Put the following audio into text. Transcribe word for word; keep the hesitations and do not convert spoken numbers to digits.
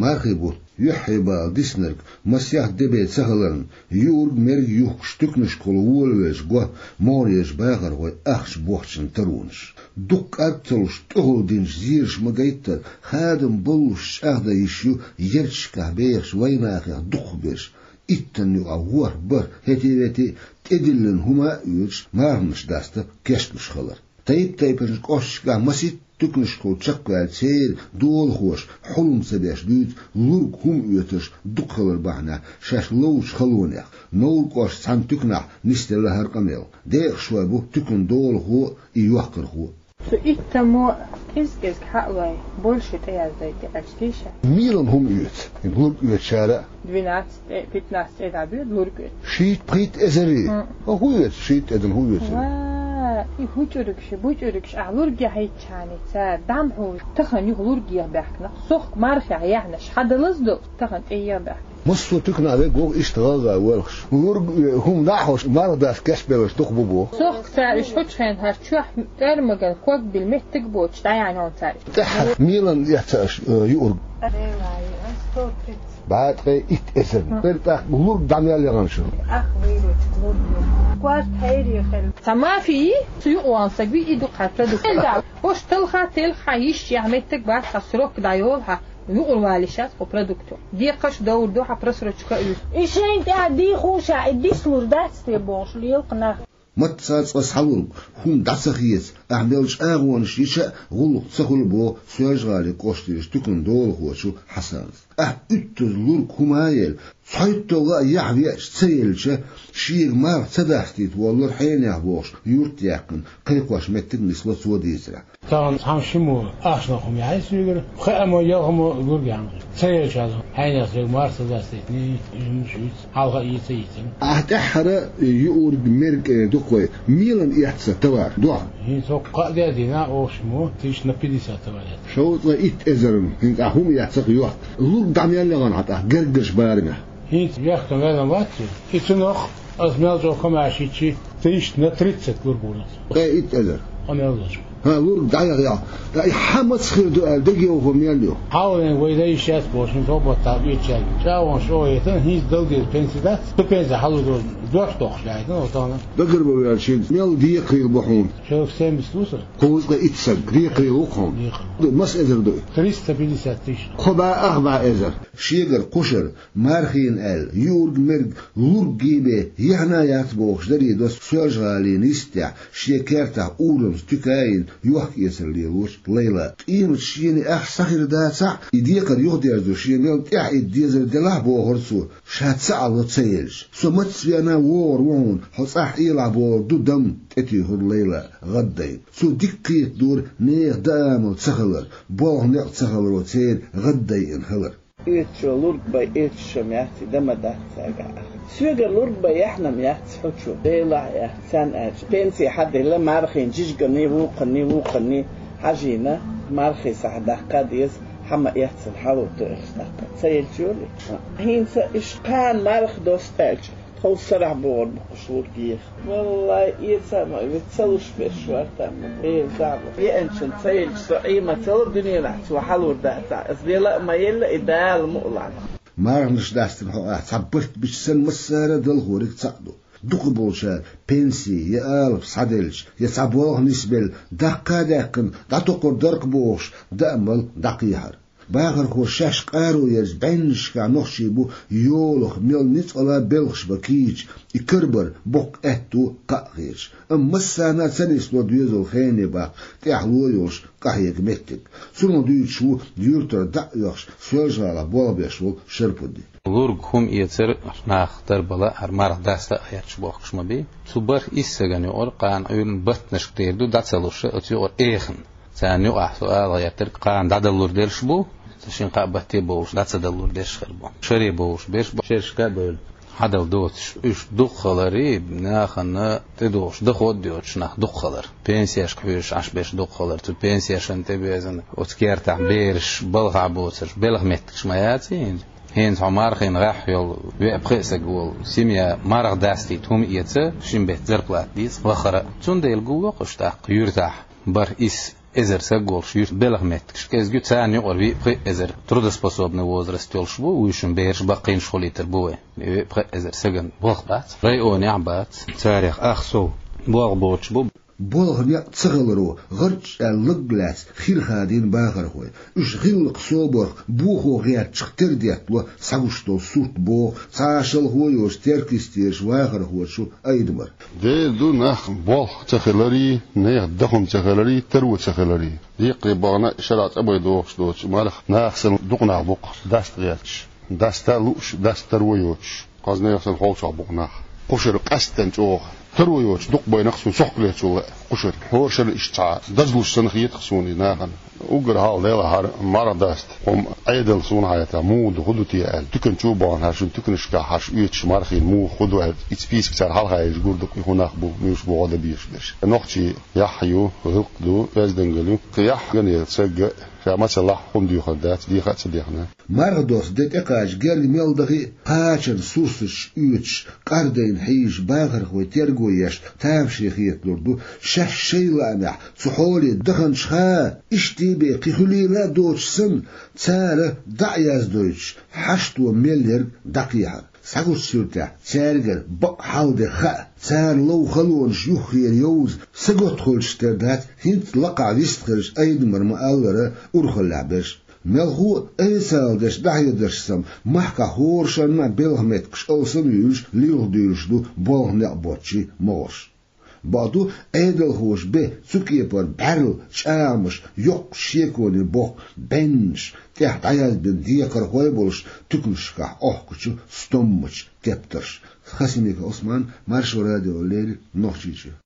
Мархий бутт юьхье бала диснарг масех де бен ца хиларна, юург-мерг юхкуш туьканашкахула волавелча го могӀарерчу бахархойн ахча бохчун таронаш. Дукха кӀарг ца луш, тӀехула динчу зераша ма-гайттара, хадам боллуш чӀагӀдан йиш ю ярташкахь бехачу вайнахах дукхахберш. Иттанна юкъахь ворхӀ, бархӀ, хӀетте-ветте тӀедиллина хӀума а оьцуш, марханаш даста кечлуш хилар. Тайп-тайпанчу кӀошташкахь масийтта туьканашкахула чекхваьлла церан долахоша хьулам ца беш дуьйцу лург хӀума оьцурш дукха хилар бахьанехь шаьш ловчу халонех. Невран кӀоштан цхьана туьканахь нисделла хӀара къамел. Декъашхой бу туькан долахо а, и йохкархо а. Цу иттаммо кӀезиг-кӀезиг хьаалой, больше тӀеяздой тӀе аьлча тийша. Мелан хӀума оьцу, лург оьцучара а? Двенадцать тӀе, пятнадцать тӀе дӀабоьду лург оьцу. Шийтта-пхийтта эзар? ХӀун. ХӀун оьцу, шийтта эзар хӀун оьцу? Ва, и хӀу чӀуригаш, бу чӀуригаш, ахь лург яхьийтчхьана, цара дӀа ма хьожуш, тахана юха лург еха баьхкина. Сохка мархех яьхьнаш хьадалаза ду, тахана тӀееха баьхкина. Массо а туьканахь вега вогӀу иштта гӀалгӀа воьлхуш. Лург, э, хӀума дӀа а хьожуш, марха даста кечбелларш дукха бу боху. Сохка цара уьш хӀуьттучу хенахь чохь тӀормаган ког билла меттиг боцуш дӀаяьхьна хьуна цара. ТӀаьххьара мелан эцна аша, э, юург? БӀе ткъе итт эзарна. ХӀун. Кхин тӀаккха лург дӀа мел яхана шуна? Ах, вуьйручу лург ю. Корта хьерий хила. Цхьа мафи йий, цу юкъа вахна стаг вий, и ду-кх хьан продукт. ХӀуш талха, телха, хьан йиш яхьа меттиг бац, хьан срок дӀайолу хьан. Юкъара валийша ас кху продукто. Декхарш довр ду хьан просрочка а вуьйцу. И шайна тӀехь дийхуш а, и дислур дац те бохуш лела-кх нах. Мацца цкъа схьалург хӀума дӀа ца хеца, ахь мел чӀагӀонаш йича а гӀуллакх ца хуьлу боху Соьлжа-ГӀалин кӀоштарчу туькан долахочо Хьасанас. Ахь уьттазза лург хӀума а елла, цхьайтталгӀа а яхь веача ца елча, шега марха ца дастийта воллура хьенех бохуш юрт яьккхина, кхайкхош меттиг нисло цо дийцарехь. Тахана цхьана шиммо ахчанах хӀума яхьий соьгара, пхеамо, ялхаммо лург яьхна. Ца елча хьайнех соьга марха ца дастийтиний, и хӀуманаш вуьйцу, хьалха а йийца йийцина. Ахь тӀаьххьара юург-мерг, э, дукха вай, мелан эцна товар, дохьа? ХӀинца хӀокху кхаа де дина оха шиммо, тысяч на пятьдесят товар эцна. Шовзткъе итт эзарна, хӀинца ахь хӀума эцна-кх йохка. Лург дӀа мел яхана хьан тӀаккха гергарчу барамехь? ХӀинца вехкан ваьлла вац иза. И цунах ас мел чӀогӀа комаьрша йичи, тысяч на тридцать лург ву-кх. Ткъе итт эзар. Къамел долчу. ХӀан, лург дӀаяхъяхь, ткъа и хьан маца хир ду аьлла дегайовхо мел ю? Хьалха вайн вай дай йиш яц бохуш, хӀинца хӀокху баттахь оьцучаьрга чӀагӀонаш чӀогӀа яйтина, хӀинца дала деза пенси дац, цу пенсехь хьалур ду, дош доккхуш даьхьна, тахана. Дагар бан ваьлча, мел декхарийла бу хьуна? Человек семьдесят ву сан. Кхузткъе итт стаг декхарийла ву-кх хьуна. Декхар. Маса эзар ду и? Триста пятьдесят тысяч. Кхо бӀе ах бӀе эзар. Шегара кхушара, мархина аьлла, юург-мерг лург гийбе яхьна яц бохуш даре до Соьлжа-ГӀалина йистехь, шен кертахь урамца туька а йина, йохка-эцар лелочу Лайла. Къематан шена ахь схьахир дацахь а, и декхар юхадерзо шен мел тӀаьхьа итта дезар делахь а, бохура цо, ша ца Ӏало ца елча. Со маца веана вогӀур ву хьуна, хьо цӀахь Ӏелахь бохур ду дам, тӀетуьйхира Лайла гӀаддайна. Цо дика кхетадора нехан даа-мала ца хилар, болх-некъ ца хиларо церан гӀаддайина хилар. Оьцучо лург бан эцаш-м яц, и дан ма дац цаьргахь ахча. Соьгара лург бан яьхьна-м яц хьо чу, Делахь яц, царна аьлча. Пенси хьаделла, мархина жижиганий, вукхунний, вукхунний хьажийна, мархи сахьт даккха а деза, хьан ма эццина хьалур ду аьлча даккха. Ца елча йолий? ХӀинца иштта кхана марха доста аьлча, тхов сарахь богӀур бу-кх уьш лург еха. Валлай, эца а ма веза, ца луш берш вара там. Э, захьа. Еанчун ца елча, со Ӏе ма ца ло дуьненахь, цо хьалур дацахь. Ас дела а ма елла, и Дала мукъ лахь. Марханаш дастина хьокъехь цхьа барт бича санна, массара а далхориг цхьаъ ду. Дукхахболчара пенси я алапа схьаделча, я цхьа болх нисбелла, даккха а даьккхина, дӀатокхур дара-кх бохуш, даа-мала дӀакхехьар. Бахархоша шаьш къаро ерза бӀеннашкахь нохчий бу йолах мел ницкъала белхаш бан кийча, и карабар боккха аьтто кхаъ хеташ. Амма массарна а ца нисло доьзал хене баккха тӀехьало йолуш къахьега меттиг. Цунах дуьйцуш ву юьртара дӀа а оьхуш, Соьлжа-ГӀалахь болх беш волу Шарпудди. Лург хӀума эцар нах дарбала, хӀара марха даста а гӀерташ бохкуш ма бий. Цу бархӀ-исс стагана юкъара кхана Ӏуьйранна баттанашка тера ду дӀа ца луш, оцу юкъара эхана. Царна юкъахь со ала гӀертарг кхана дӀадалур дерш бу, ца шина кхаа батте бовлуш дӀа ца далур дерш хир бу. Шаре бовлуш берш бу, шерашка а бевлла, хьадала доцуш. Уьш дукха хилари, нахана тӀедогӀуш доход а доцуш нах дукха хилар. Пенсешка хьоьжуш Ӏаш берш дукха хилар. Цу пенсешна тӀебезна оцу кертахь бераш балхахь боцурш белхан меттигаш ма яций хӀинца. ХӀинца хьо мархина гӀеххьа йолу веа-пхеа стаг волу семья марха дастийта хӀума эца, шин беттан зарплата дийца вахара а. Цундела гулло-кх уьш тӀаккха юьртахь бархӀ-исс эзар саг волуш юьртан белхан меттигаш кӀезиг ю, царна юкъара виъ-пхиъ эзар трудоспособный возраст йолуш бу, вуьйшинна бераш баккхийнаш хилийтар бу вай. Виъ-пхиъ эзар сагана болх бац, районехь а бац. Царех ах сов болх боцуш бу. Болх некъ ца хиларо, гӀарччӀ аьлла лаг лаьцна хир хадийна бахархой. Уьш гӀиллакх собарх бохо гӀертачух тера деттало схьагуш долу сурт, боху цхьа а шалхо а йоцуш Теркйистерчу вахархочо Айдамара. Дера ду нах болх ца хиларий, нехан дахам ца хиларий, таро ца хиларий. Деккхий бахана шарахь цӀа бай дохуш доцу марха нах санна дукха нах бу-кх даста гӀерташ. Даста а лууш, даста таро а йоцуш. Кхазнех санна холчохь бу-кх нах. Кхушара къаьсттина чӀогӀа. Таро йоцуш дукха байнакх суна сохкалечул лаьа кхушара. ХӀора шарна иштта цхьа дазлуш санна хета-кх суна и нахана. Уггар хьалха делахь хӀара марха даста хӀума Ӏедал суна хьайта, муха ду, хӀун ду те аьлла. Туькан чу а бахана, хӀара шун туьканашкахь хӀара оьцуш мархийн муха, хӀун ду аьлла, и список цара хьалха езаш гур ду-кх, и хӀун нах бу, муьлш бу гӀо дан безаш берш. Нохчий яхь ю, гӀиллакх ду, оьздангалла ю. Кхин яхь ган яла сагга, ша мацаллахь хӀума доьхур дац, деха а ца дехна. Марха доссу де тӀекхача герга мел дахи а, кхачанан сурсаташ оьцуш, къардайна хьийзаш бахархой терго еш тамашийна хеталур ду, шаьш шайн лаамехь цу хьоле даханчуха а, иштта бен кхин хуьлийла а доцуш санна, цара дӀа а яздойтуш, хьашто мел ерг дӀакхехьар. Схьагучу суьртехь, цаьргара бакъ хьал де хаьа, царна лов халонаш юххера йовза, сагатхуьлуш тера дац, хӀинца лакхахь вистхуьлуш Айдамара ма-аллара урхаллехь берш. Мелхо а, айса ала деш дӀахьедарш санна, махкахь хӀора шарна а белхан меттигаш алсам а юьйлуш, лилха дуьйлуш ду болх некъ боцчийн могӀарш. Бакъду, Ӏедалхоша бен цу кепара бӀаьрла чӀагӀамаш, йоккхачу шеконе бохку бӀеннаш, тӀехь дӀаязбина декхархой а болуш, туьканашкахь Ӏохкучу стоммачу тептарш. Хасимиков Ӏусман, Маршо радиона леррина, Нохчийчоь.